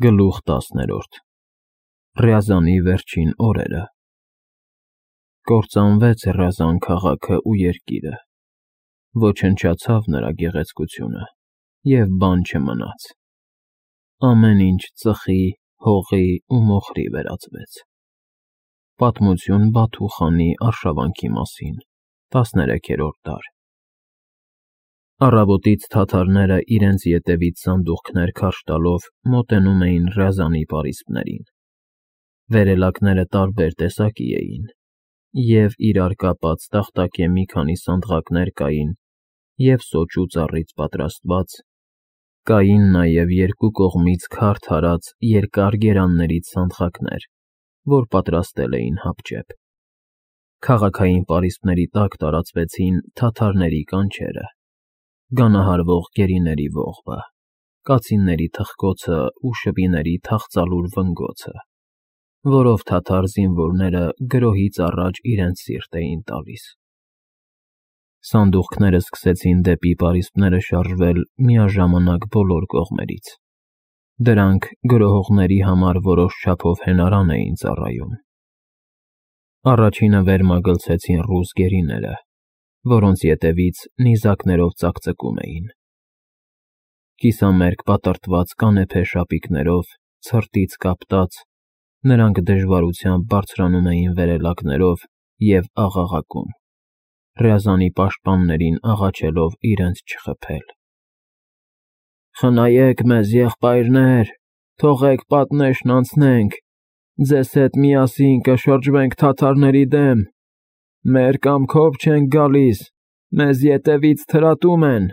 Գլուխ 10 Ռյազանի վերջին օրերը Կործանվեց Ռյազան քաղաքը ու երկիրը, ոչնչացավ նրա գեղեցկությունը, և բան չմնաց, ամեն ինչ ծխի, հողի ու մոխրի վերածվեց։ Պատմություն Բաթու խանի արշավանքի մասին, 13-րդ դար։ Առավոտից թաթարները իրենց ետևից սանդուղքներ քարշ տալով մոտենում էին Ռյազանի պարիսպներին։ Վերելակները տարբեր տեսակի էին, և իրար կապած տախտակե մի քանի սանդղակներ կային, և սոճու ծառից պատրաստված, կային նաև երկու կողմից քարդ հարած երկար գերաններից սանդղակներ, որ պատրաստել էին հապճեպ։ Քաղաքային պարիսպների տակ տարածվեցին թաթարների կանչերը, գանահարվող գերիների ողբը, կացինների թխկոցը ու շվիների թախծալուր վնգոցը, որով թաթար զինվորները գրոհից առաջ իրենց սիրտ էին տալիս։ Սանդուղքները սկսեցին դեպի պարիսպները շարժվել միաժամանակ բոլոր կողմերից։ Դրանք գրոհողների համար որոշ չափով հենարան էին ծառայում։ Առաջինը վեր մագլցեցին ռուս գերիները, որոնց ետևից նիզակներով ծակծկում էին։ Կիսամերկ պատրտված կանեփե շապիկներով, ցրտից կապտած, նրանք դժվարությամբ բարձրանում էին վերելակներով և աղաղակում, Ռյազանի պաշտպաններին աղաչելով իրենց չխփել։ «Խնայեք մեզ, եղբայրներ, թողեք պատնեշն անցնենք, ձեզ հետ միասին կշրջվենք թաթարների դեմ, մեր կամքով չենք գալիս, մեզ ետևից թրատում են»։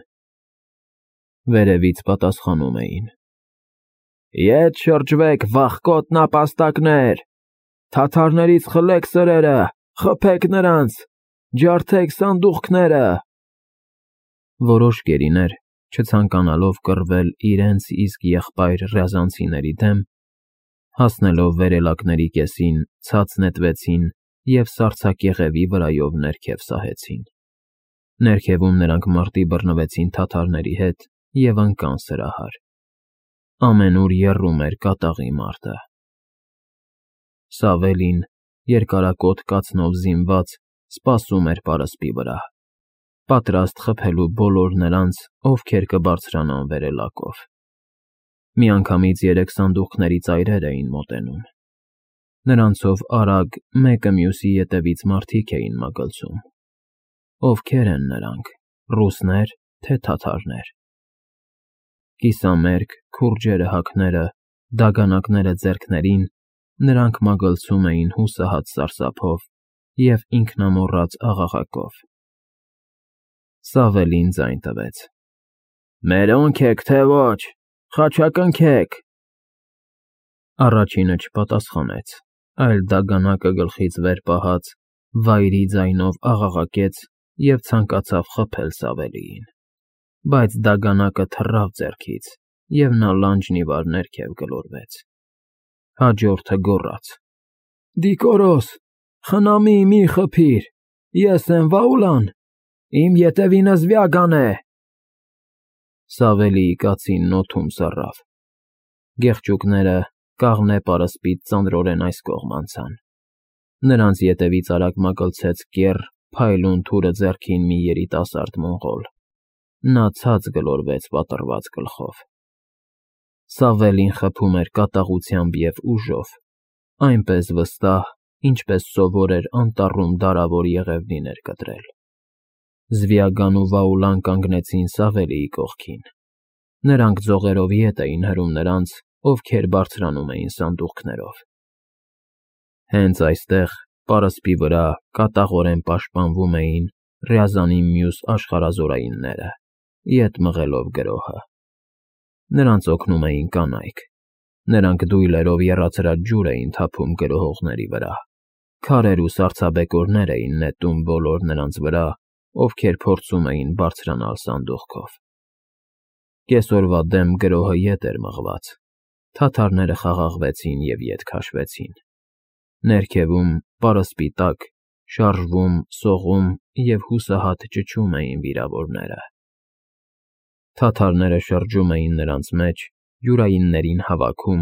Վերևից պատասխանում էին. «Ետ շրջվեք, վախկոտ նապաստակներ, թաթարներից խլեք սրերը, խփեք նրանց, ջարդեք սանդուղքները»։ Որոշ գերիներ, չցանկանալով կռվել իրենց իսկ եղբայր ռյազանցիների դեմ, հասնելով վերելակների կեսին, ցած նետվեցին և սառցակեղևի վրայով ներքև սահեցին։ Ներքևում նրանք մարտի բռնվեցին թաթարների հետ և ընկան սրահար։ Ամենուր եռում էր կատաղի մարտը։ Սավելին, երկարակոթ կացնով զինված, սպասում էր պարսպի վրա, պատրաստ խփելու բոլոր նրանց, ովքեր կբարձրանան վերելակով։ Միանգամից 3 սանդուղքների ծայրեր էին մոտենում։ Նրանցով արագ մեկը մյուսի ետևից մարդիկ էին մագլցում։ Ովքեր են նրանք, ռուսնե՞ր, թե թաթարներ։ Կիսամերկ, քուրջերը հագները, դագանակները ձեռքներին, նրանք մագլցում էին հուսահատ սարսափով և ինքնամոռաց աղաղակով։ Սավելին ձայն տվեց. «Մերոնք եք, թե ոչ, խաչակնքեք»։ Առաջինը չպատասխանեց, այլ դագանակը գլխից վեր պահած, վայրի ձայնով աղաղակեց և ցանկացավ խփել Սավելիին, բայց դագանակը թռավ ձեռքից, և նա լանջն ի վար ներքև գլորվեց։ Հաջորդը գոռաց. «Դիկորոս, խնամի, մի խփիր, ես եմ Վաուլան, իմ ետևինս Վյագան է»։ Սավելիի կացինն օդում սառավ։ Գեղչուկները կաղնե պարսպից ծանրորեն այս կողմ անցան։ Նրանց ետևից արագ մագլցեց կեռ, փայլուն թուրը ձեռքին մի երիտասարդ մոնղոլ։ Նա ցած գլորվեց պատռված գլխով։ Սավելին խփում էր կատաղությամբ և ուժով, այնպես վստահ, ինչպես սովոր էր անտառում դարավոր եղևնիներ կտրել։ Զվիագան ու Վաուլան կանգնեցին Սավելիի կողքին։ Նրանք ձողերով ետ էին հրում նրանց, ովքեր բարձրանում էին սանդուղքներով։ Հենց այստեղ, պարսպի վրա, կատաղորեն պաշտպանվում էին Ռյազանի մյուս աշխարհազորայինները, ետ մղելով գրոհը։ Նրանց օգնում էին կանայք։ Նրանք դույլերով եռացրած ջուր էին թափում գրոհողների վրա, քարեր ու սառցաբեկորներ էին նետում բոլոր նրանց վրա, ովքեր փորձում էին բարձրանալ սանդուղքով։ Կեսօրվա դեմ գրոհը ետ էր մղված։ Թաթարները խաղաղվեցին և ետ քաշվեցին։ Ներքևում, պարսպի տակ, շարժվում, սողում և հուսահատ ճչում էին վիրավորները։ Թաթարները շրջում էին նրանց մեջ, յուրայիններին հավաքում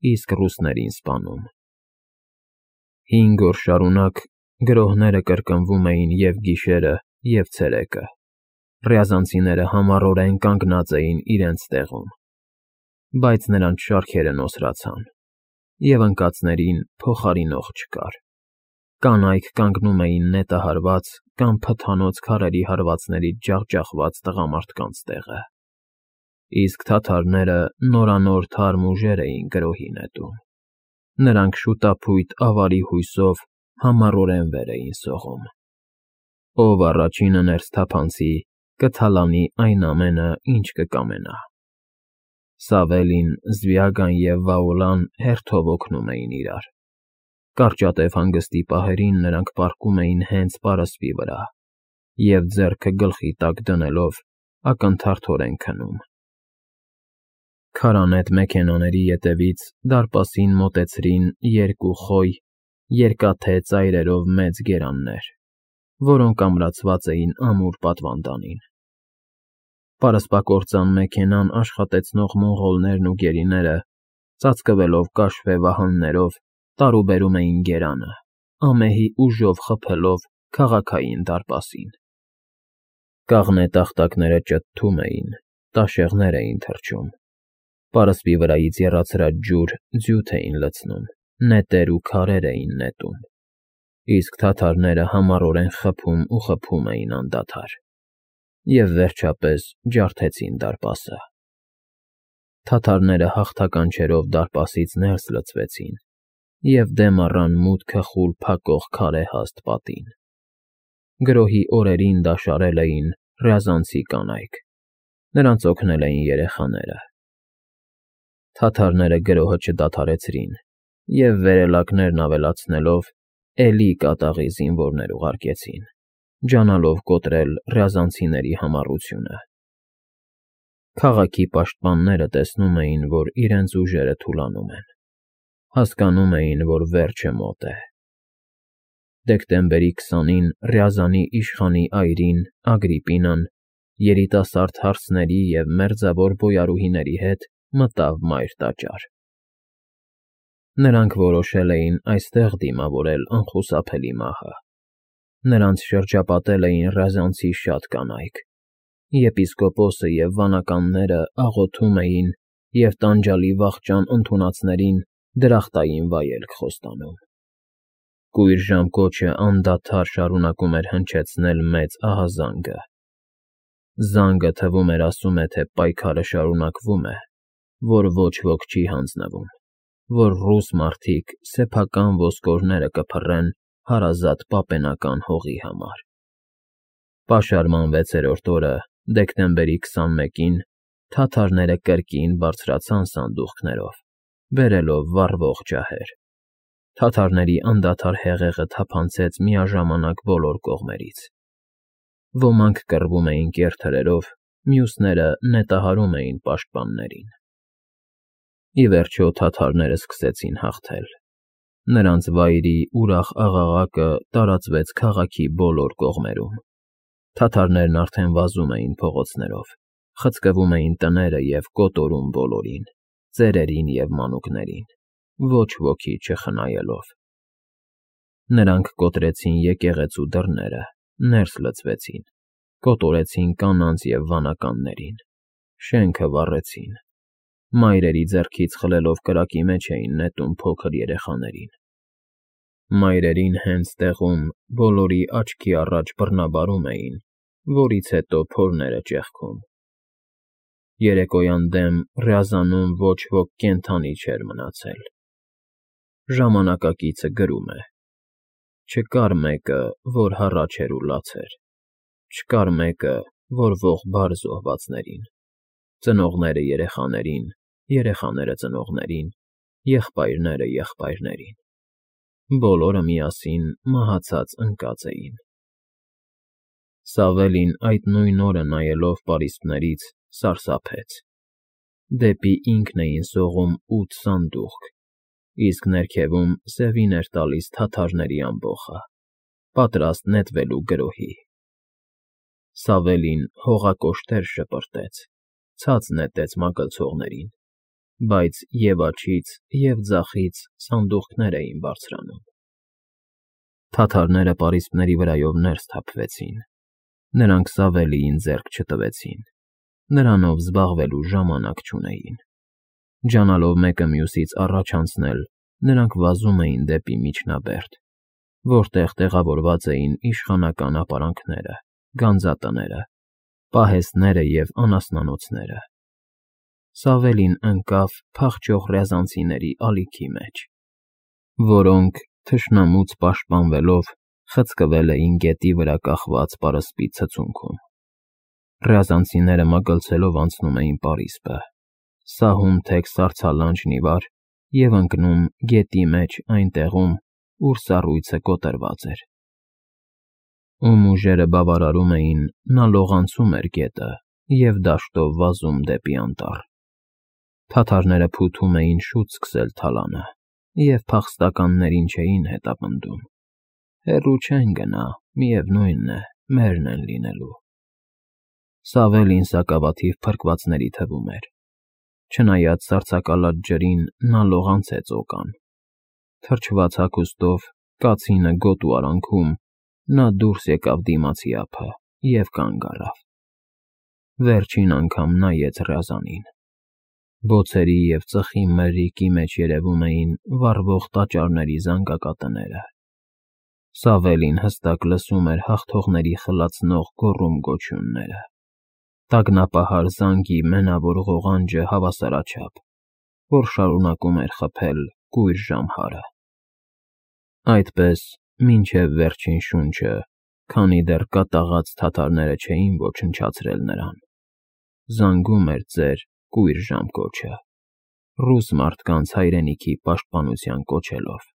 իսկ ռուսներին սպանում։ 5 օր շարունակ գրոհները կրկնվում էին և գիշերը, և ցերեկը։ Ռյազանցիները համառորեն կանգնած էին իրենց տեղում, բայց նրանց շարքերը նոսրացան, և ընկածներին փոխարինող չկար։ Կանայք կանգնում էին նետահարված կամ փթանոց քարերի հարվածներից ջախջախված տղամարդկանց տեղը, իսկ թաթարները նորանոր թարմ ուժեր էին գրոհի նետում։ Նրանք շուտափույթ ավարի հույսով համառորեն վեր էին սողում։ Ով առաջինը ներս թափանցի, կթալանի այն ամենը, ինչ կկամենա։ Սավելին, Զվյագան և Վաոլան հերթով օգնում էին իրար։ Կարճատև հանգստի պահերին նրանք պառկում էին հենց պարսպի վրա և, ձեռքը գլխի տակ դնելով, ակնթարթորեն քնում։ Քարանետ մեքենաների ետևից դարպասին մոտեցրին 2 խոյ, երկաթե ծայրերով մեծ գերաններ, որոնք ամրացված էին ամուր պատվանդանին։ Պարսպակործան մեքենան աշխատեցնող մոնղոլներն ու գերիները, ծածկվելով կաշվե վահաններով, տարուբերում էին գերանը, ամեհի ուժով խփելով քաղաքային դարպասին։ Կաղնե տախտակները ճտտում էին, տաշեղներ էին թռչում, պարսպի վրայից եռացրած ջուր ձյութ էին լցնում, նետեր ու քարեր էին նետում, իսկ թաթարները համառորեն խփում ու խփում էին անդադար, և վերջապես ջարդեցին դարպասը։ Թաթարները հաղթականչերով դարպասից ներս լցվեցին և դեմ առան մուտքը խուլ փակող քարե հաստ պատին։ Գրոհի օրերին դա շարել էին ռյազանցի կանայք, նրանց օգնել էին երեխաները։ Թաթարները գրոհը չդադարեցրին և, վերելակներն ավելացնելով, էլի կատաղի զինվորներ ուղարկեցին, ջանալով կոտրել ռյազանցիների համառությունը։ Քաղաքի պաշտպանները տեսնում էին, որ իրենց ուժերը թուլանում են, հասկանում էին, որ վերջը մոտ է։ Դեկտեմբերի 20-ին Ռյազանի իշխանի այրին Ագրիպինան երիտասարդ հարսների և մերձավոր բոյարուհիների հետ մտավ մայր տաճար։ Նրանք որոշել էին այստեղ դիմավորել անխուսափելի մահը։ Նրանց շրջապատել էին ռյազանցի շատ կանայք։ Եպիսկոպոսը և վանականները աղոթում էին և տանջալի վախճան ընդունածներին դրախտային վայելք խոստանում։ Կույր ժամկոչը անդադար շարունակում էր հնչեցնել մեծ ահազանգը։ Զանգը թվում էր ասում է, թե պայքարը շարունակվում է, որ ոչ ոք չի հանձնվում, որ ռուս մարդիկ սեփական ոսկորները կփռեն հարազատ պապենական հողի համար։ Պաշարման 6-րդ օրը, դեկտեմբերի 21-ին, թաթարները կրկին բարձրացան սանդուղքներով, բերելով վառվող ջահեր։ Թաթարների անդադար հեղեղը թափանցեց միաժամանակ բոլոր կողմերից։ Ոմանք կռվում էին կեռ թրերով, մյուսները նետահարում էին պաշտպաններին։ Ի վերջո թաթարները սկսեցին հաղթել։ Նրանց վայրի ուրախ աղաղակը տարածվեց քաղաքի բոլոր կողմերում։ Թաթարներն արդեն վազում էին փողոցներով, խցկվում էին տները և կոտորում բոլորին, ծերերին և մանուկներին, ոչ ոքի չխնայելով։ Նրանք կոտրեցին եկեղեցու դռները, ներս լցվեցին, կոտորեցին կանանց և վանականներին, շենքը վառեցին, մայրերի ձեռքից խլելով կրակի մեջ էին նետում փոքր երեխաներին։ Մայրերին հենց տեղում բոլորի աչքի առաջ բռնաբարում էին, որից հետո փորները ճեղքում։ Երեկոյան դեմ Ռյազանում ոչ ոք կենդանի չէր մնացել։ Ժամանակակիցը գրում է. «Չկար մեկը, որ հառաչ էր ու լաց էր, չկար մեկը, որ ողբար զոհվածներին, ծնողները երեխաներին, երեխաները ծնողներին, եղբայրները եղբայրներին, բոլորը միասին մահացած ընկած էին»։ Սավելին այդ նույն օրը նայելով պարիսպներից սարսափեց։ Դեպի ինքն էին սողում 8 սանդուղք, իսկ ներքևում սևին էր տալիս թաթարների ամբոխը, պատրաստ նետվելու գրոհի։ Սավելին հողակոշտեր շպրտեց, ցած նետեց մագլցողներին, բայց և աջից, և ձախից սանդուղքներ էին բարձրանում։ Թաթարները պարիսպների վրայով ներս թափվեցին, նրանք Սավելիին ձեռք չտվեցին, նրանով զբաղվելու ժամանակ չունեին։ Ջանալով մեկը մյուսից առաջ անցնել, նրանք վազում էին դեպի միջնաբերդ, որտեղ տեղավորված էին իշխանական ապարանքները, գանձատները, պահեստները և անասնանոցները։ Սավելին ընկավ փախչող ռյազանցիների ալիքի մեջ, որոնք, թշնամուց պաշտպանվելով, խցկվել էին գետի վրա կախված պարսպի ցցունքում։ Ռյազանցիները մագլցելով անցնում էին պարիսպը, սահում թեք սառցալանջն ի վար և ընկնում գետի մեջ այն տեղում, ուր սառույցը կոտրված էր։ Ում ուժերը բավարարում էին, նա լողանցում էր գետը և դաշտով վազում դեպի անտառ։ Թաթարները փութում էին շուտ սկսել թալանը և փախստականներին չէին հետապնդում։ Հեռու չեն գնա, միևնույն է, մերն են լինելու։ Սավելին սակավաթիվ փրկվածների թվում էր։ Չնայած սառցակալած ջրին, նա լողացեց օկան։ Թրջված հագուստով, կացինը գոտ ու արանքում, նա դուրս եկավ դիմացի ափը և կանգ առավ։ Վերջին անգամ նայեց ռյազանին։ Բոցերի և ծխի մրրիկի մեջ երևում էին վառվող տաճարների զանգակատները։ Սավելին հստակ լսում էր հաղթողների խլացնող գոռում֊գոչյունները, տագնապահար զանգի մենավոր ղողանջը հավասարաչափ, որ շարունակում էր խփել կույր ժամհարը։ Այդպես, մինչև վերջին շունչը, քանի դեռ կատաղած թաթարները չէին ոչնչացրել նրան, զանգում էր ծեր կույր ժամկոչը, ռուս մարդկանց հայրենիքի պաշտպանության կոչելով։